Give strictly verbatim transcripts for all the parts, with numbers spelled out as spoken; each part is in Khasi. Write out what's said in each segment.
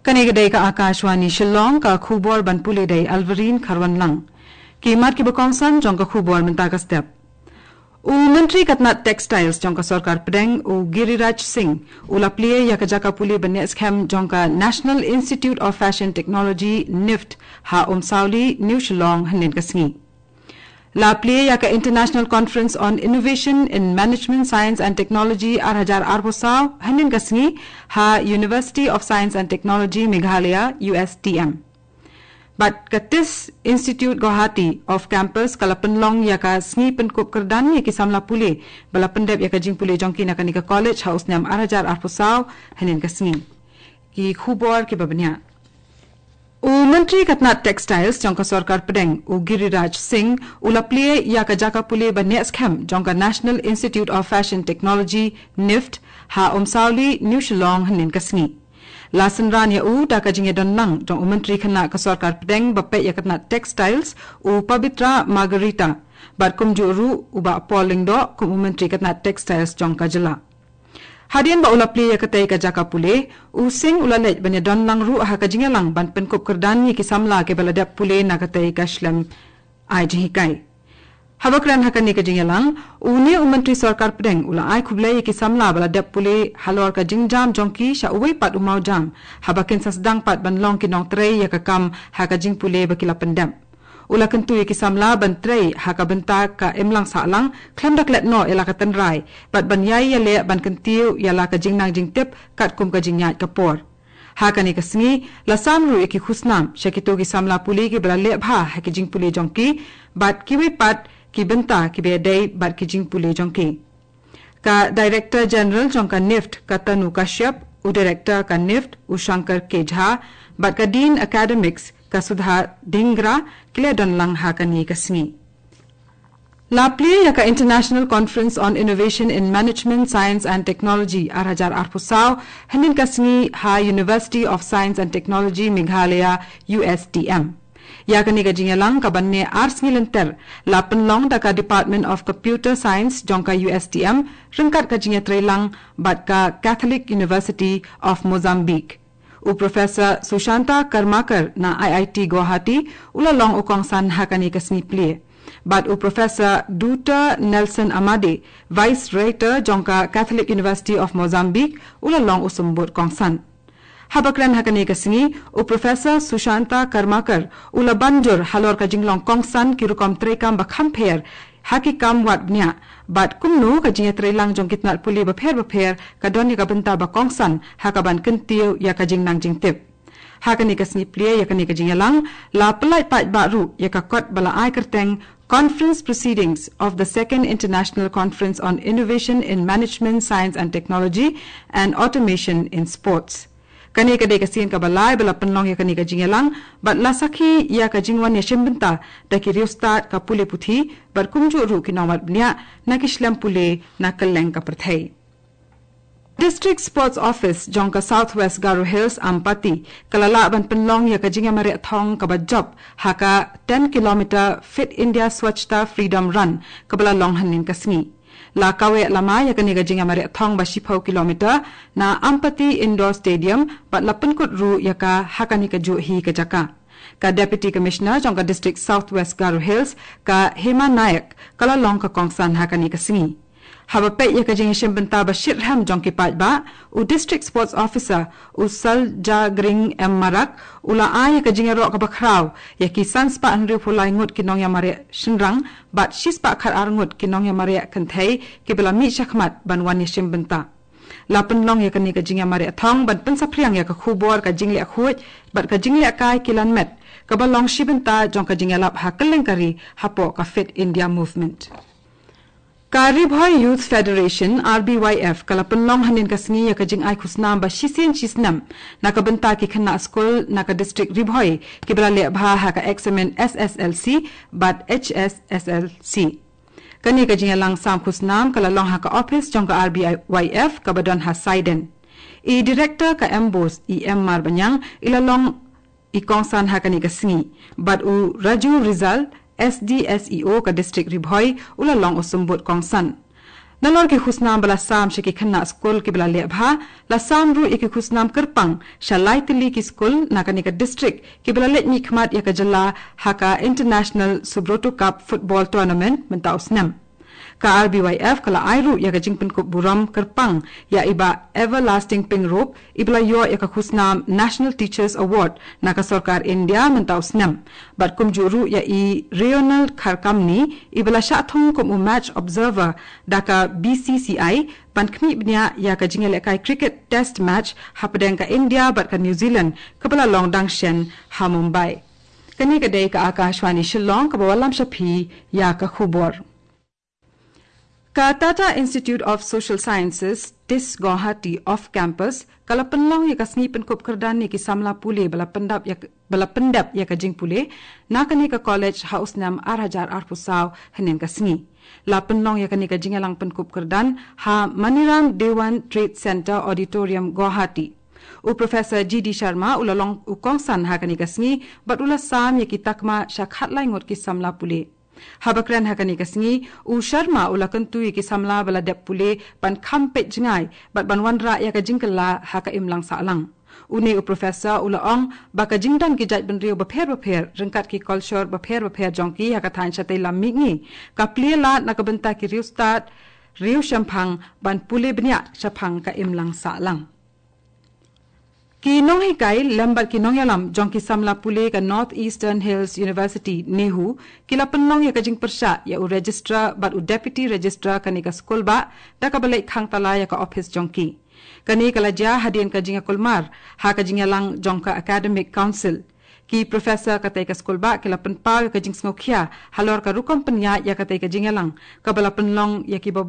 Kane ka dei ka Akashvani Shillong, ka khubor ban pule da i Alvarine Kharwanlang. Ki mat kiba kongsan jong ka khubor mynta ka step. U Myntri ka tnat Textiles jong ka Sorkar Pdeng, u Giriraj Singh, u la plie ïa ka jaka pule ban neh skhem jong ka National Institute of Fashion Technology, NIFT, ha Umsawli, New Shillong, hynnin ka sngi. La plie ïa ka International Conference on Innovation in Management Science and Technology ar hajar arphew saw, hynnin ka sngi, ha University of Science and Technology Meghalaya, U S T M. Bad ka TISS Institute Guwahati off campus ka la pynlong ïa ka sngi pynkup kyrdan ïa ki samla pule ba la pyndep ïa ka jingpule jong ki na kane ka college ha u snem ar hajar arphew saw, hynnin ka sngi. Ki khubor kiba bniah. U Myntri ka tnat Textiles jong ka Sorkar Pdeng, u Giriraj Singh, u la plie ïa ka jaka pule ban neh skhem jong ka National Institute of Fashion Technology, NIFT, ha Umsawli, New Shillong, hynnin ka sngi. La synran ïa u da ka jingïadon lang jong u Myntri khynnah ka Sorkar Pdeng ba peit ïa ka tnat Textiles, u Pabitra Margherita, bad kumjuh ruh u Bah Paul Lyngdoh kum u Myntri ka tnat Textiles jong ka jylla. Hadien ba u la plie ïa katei ka jaka pule, u Singh u la leit ban ïadon lang ruh ha ka jingïalang ban pynkup kyrdan ïa ki samla kiba la dep pule na katei ka shlem ai jinghikai. Haba kren ha kane ka jingïalang, une u Myntri Sorkar Pdeng u la ai khublei ïa ki samla ba la dep pule halor ka jingjam jong ki sha uwei pat u mawjam, haba kin sa sdang pat ban long ki nongtrei ïa ka kam ha ka jingpule ba ki la pyndep. U la kyntu ïa ki samla ban trei ha ka bynta ka imlang sahlang, khlem da klet noh ïa la ka tynrai, bad ban ïai ïaleh ban kyntiew ïa la ka jingnang jingtip katkum ka jingïaid ka por. Ha kane ka sngi, la sam ruh ïa ki khusnam sha kito ki samla pule kiba la leh bha ha ki jingpule jong ki, bad kiwei pat ki bynta kiba ïadei bad ki jingpule jong ki. Ka Director General jong ka NIFT, ka Tanu Kashyap, u Director ka NIFT, u Shankar K Jha, bad ka Dean Academics, ka Sudha Dhingra, ki la don lang ha kane ka sngi. La plie ïa ka International Conference on Innovation in Management Science and Technology ar hajar arphew saw, hynnin ka sngi ha University of Science and Technology Meghalaya, U S T M. Ïa kane ka jingïalang kaba neh ar sngi lynter, la pynlong da ka Department of Computer Science jong ka U S T M, ryngkat ka jingïatreilang bad ka Catholic University of Mozambique. U Professor Sushanta Karmakar na I I T Guwahati, u la long u kongsan ha kane ka sngi plie. Bad u Professor Doctor Nelson Amade, Vice Rector jong ka Catholic University of Mozambique, u la long u symbud kongsan. Haba kren ha kane ka sngi, u Professor Sushanta Karmakar, u la ban jur halor ka jinglong kongsan ki rukom treikam ba kham pher, ha ki kam wad bniah, bad kumno ka jingïatreilang jong ki tnat pule bapher bapher, ka don ïa ka bynta ba kongsan, ha kaban kyntiew ïa ka jingnang jingtip. Ha kane ka sngi plie ïa kane ka jingïalang, la pyllait paidbah ruh ïa ka kot ba la ai kyrteng Conference Proceedings of the Second International Conference on Innovation in Management, Science and Technology and Automation in Sports. Kane ka dei ka sien kaba lai ba la pynlong ïa kane ka jingïalang, bad la sakhi ïa ka jingwan ïashim bynta da ki riewstad ka pule puthi, bad kumjuh ruh ki nongwad bniah na ki shlem pule na kylleng ka pyrthei. District Sports Office jong ka South West Garo Hills, Ampati, ka la lah ban pynlong ïa ka jingïamareh thong kaba jop ha ka ten kilometer Fit India Swachhata Freedom Run, kaba la long hynnin ka sngi. La kaweh lama ïa kane ka jingïamareh thong ba shiphew kilometer na Ampati Indoor Stadium, bad la pynkut ruh ïa ka ha kane kajuh hi ka jaka. Ka Deputy Commissioner jong ka District South West Garo Hills, ka Hema Nayak, ka la long ka kongsan ha kane ka sngi. Haba peit ïa ka jingïashim bynta ba shitrhem jong ki paidbah, u District Sports Officer, u Saljagring M Marak, u la ai ïa ka jingïaroh kaba khraw ïa ki san spah hynriewphew lai ngut ki nongïamareh shynrang, bad shi spah khatar ngut ki nongïamareh kynthei, kiba la mih shakhmat ban wan ïashim bynta. La pynlong ïa kane ka jingïamareh thong ban pynsaphriang ïa ka khubor ka jingleh khuid bad ka jingleh kai kilan met, kaba long shi bynta jong ka jingïalap ha kylleng ka ri hapoh ka Fit India Movement. Ka Ri Bhoi Youth Federation, R B Y F, ka la pynlong hynnin ka sngi ïa ka jingai khusnam ba shisien shisnem na ka bynta ki khynnah skul na ka district Ri Bhoi, kiba la leh bha ha ka eksamin S S L C bad H S S L C. Kane ka jingïalang sam khusnam ka la long ha ka ophis jong ka R B Y F kaba don ha Saiden. I Director ka MBOSE, i M Marbaniang, i la long i kongsan ha kane ka sngi. Bad u Raju Rizal, S D S E O ka District Ri Bhoi, u la long u symbud kongsan. Nalor ki khusnam ba la sam sha ki khynnah skul ki ba la leh bha, la sam ruh ïa ki khusnam kyrpang sha lai tylli ki skul na kane ka district ki ba la leit mihkhmat ïa ka jylla ha ka International Subroto Cup Football Tournament mynta u snem. Ka R B Y F ka la ai ruh ïa ka jingpynkup burom kyrpang ïa i Bah Everlasting Pyngrope, i ba la ïoh ïa ka khusnam National Teachers Award na ka sorkar India mynta u snem. Bad kumjuh ruh ïa i Ronald Kharkamni, i ba la shah thung kum u match observer da ka B C C I, ban khmih bniah ïa ka jingïalehkai cricket test match hapdeng ka India bad ka New Zealand ka ba la long dang shen ha Mumbai. Kane ka dei ka Akashvani Shillong ka ba wallam sha phi ïa ka khubor. Ka Tata Institute of Social Sciences, TISS Guwahati off campus, ka la pynlong ïa ka sngi pynkup kyrdan ïa ki samla pule ba la pyndap ïa, ba la pyndep ïa ka jingpule na kane ka college ha u snem ar hajar arphew saw hynnin ka sngi. La pynlong ïa kane ka jingïalang pynkup kyrdan ha Maniram Dewan Trade Centre Auditorium, Guwahati. U Professor G D Sharma u la long u kongsan ha kane ka sngi bad u la sam ïa ki takma sha khatlai ngut ki samla pule. Haba kren ha kane ka sngi, u Sharma u la kyntu ïa ki samla ba la dep pule ban kham peit jngai bad ban wanrah ïa ka jingkylla ha ka imlang sahlang. Une u professor u la ong ba ka jingdon ki jaitbynriew bapher bapher ryngkat ki culture bapher bapher jong ki ha ka thaiñ shatei lam mihngi ka plie lad na ka bynta ki riewstad, riewshemphang ban pule bniah shaphang ka imlang sahlang. Ki nonghikai lem bad ki nongïalam jong ki samla pule ka North Eastern Hills University, NEHU, ki la pynlong ïa ka jingpyrshah ïa u registrar bad u deputy registrar kane ka skul bah da ka ba leit khang tala ïa ka ophis jong ki. Kane ka la jia hadien ka jingïakulmar ha ka jingïalang jong ka Academic Council. Ki professor katei ka skul bah ki la pynpaw ïa ka jingsngewkhia halor ka rukom pynïaid ïa katei ka jingïalang ka ba la pynlong ïa ki ba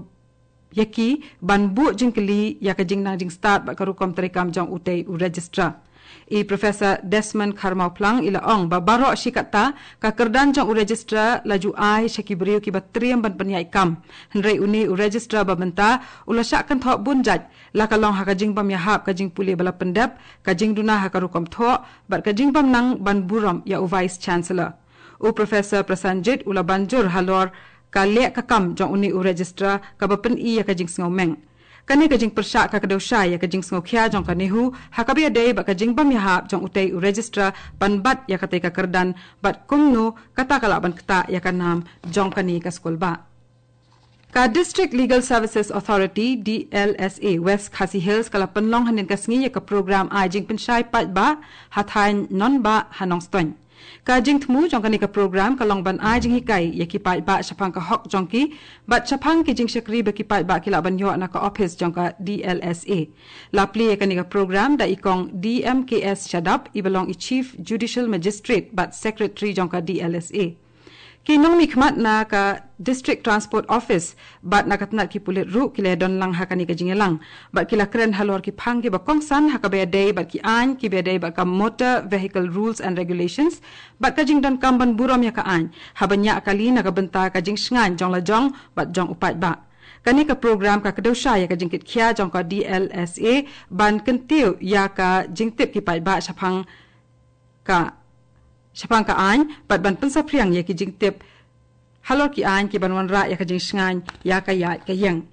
ïa ki ban buh jingkylli ïa ka jingnang jingstad bad ka rukom treikam jong utei u registrar. I Professor Desmond Kharmawphlang i la ong ba baroh shi katta ka kyrdan jong u registrar la ju ai sha ki briew ki ba triem ban pynïaid kam. Hynrei une u registrar ba mynta u la shah kynthoh bun jait, la ka long ha ka jingbym ïahap ka jingpule ba la pyndep, ka jingduna ha ka rukom thoh bad ka jingbym nang ban burom ïa u Vice Chancellor. U Professor Prasanjit u la ban jur halor ka leh ka kam jong une u registrar ka ba pyni ïa ka jingsngewmeng. Kane ka jingpyrshah ka kdew shai ïa ka jingsngewkhia jong ka NEHU ha ka ba ïadei bad ka jingbym ïahap jong utei u registrar ban bat ïa katei ka kyrdan bad kumno kata ka lah ban ktah ïa ka nam jong kane ka skul bah. Ka District Legal Services Authority, D L S A, West Khasi Hills ka la pynlong hynnin ka sngi ïa ka program ai jingpynshai paidbah ha thaiñ Nonbah ha Nongstoiñ. Ka jingthmu jong kane ka program ka long ban ai jinghikai ïa ki paidbah shaphang ka hok jong ki bad shaphang ki jingshakri ba ki paidbah ki lah ban ïoh na ka ophis jong ka D L S A. La plie ïa kane ka program da i Kong D M K S Shadap, i ba long i Chief Judicial Magistrate bad Secretary jong ka D L S A. Ki nongmihkhmat na ka District Transport Office bad na ka tnat ki pulit ruh ki la don lang ha kane ka jingïalang bad ki la kren halor ki phang ki ba kongsan ha ka ba ïadei bad ki aiñ ki ba ïadei bad ka Motor Vehicle Rules and Regulations bad ka jingdonkam ban burom ïa ka aiñ ha ban ïaid kali na ka bynta ka jingshngaiñ jong la jong bad jong u paidbah. Kane ka program ka kdew shai ïa ka jingkitkhia jong ka D L S A ban kyntiew ïa ka jingtip ki paidbah shaphang ka shaphang ka aiñ bad ban pynsaphriang ïa ki jingtip halor ki aiñ ki ban wanrah ïa ka jingshngaiñ ïa ka ïaid ka ïeng.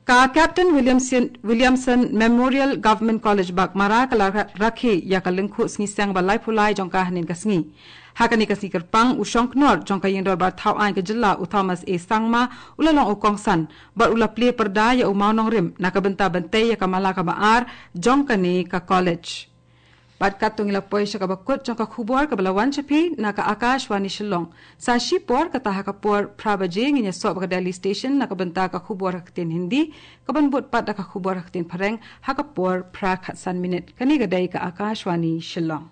Ka Captain Williamson, Williamson Memorial Government College Baghmara ka la ra-, rakhe ïa ka lyngkhuh sngi seng ba laiphew lai jong ka hynnin ka sngi. Ha kane ka sngi kyrpang u shongknor jong ka ïing dorbar thaw aiñ ka jylla u Thomas A Sangma u la long u kongsan bad u la plie pyrda ïa u mawnongrim na ka bynta ban tei ïa ka mala ka ba ar jong kane ka college. Bad katto ngi la poi sha ka ba kut jong ka khubor ka ba la wan sha phi na ka Akashvani Shillong. Sa shipor kata ha ka por phra baje ngin ïasoh bad ka Delhi Station na ka bynta ka khubor ha ka ktien Hindi, ka ban bud pat da ka khubor ha ka ktien Phareng ha ka por phra khatsan minit. Kane ka dei ka Akashvani Shillong.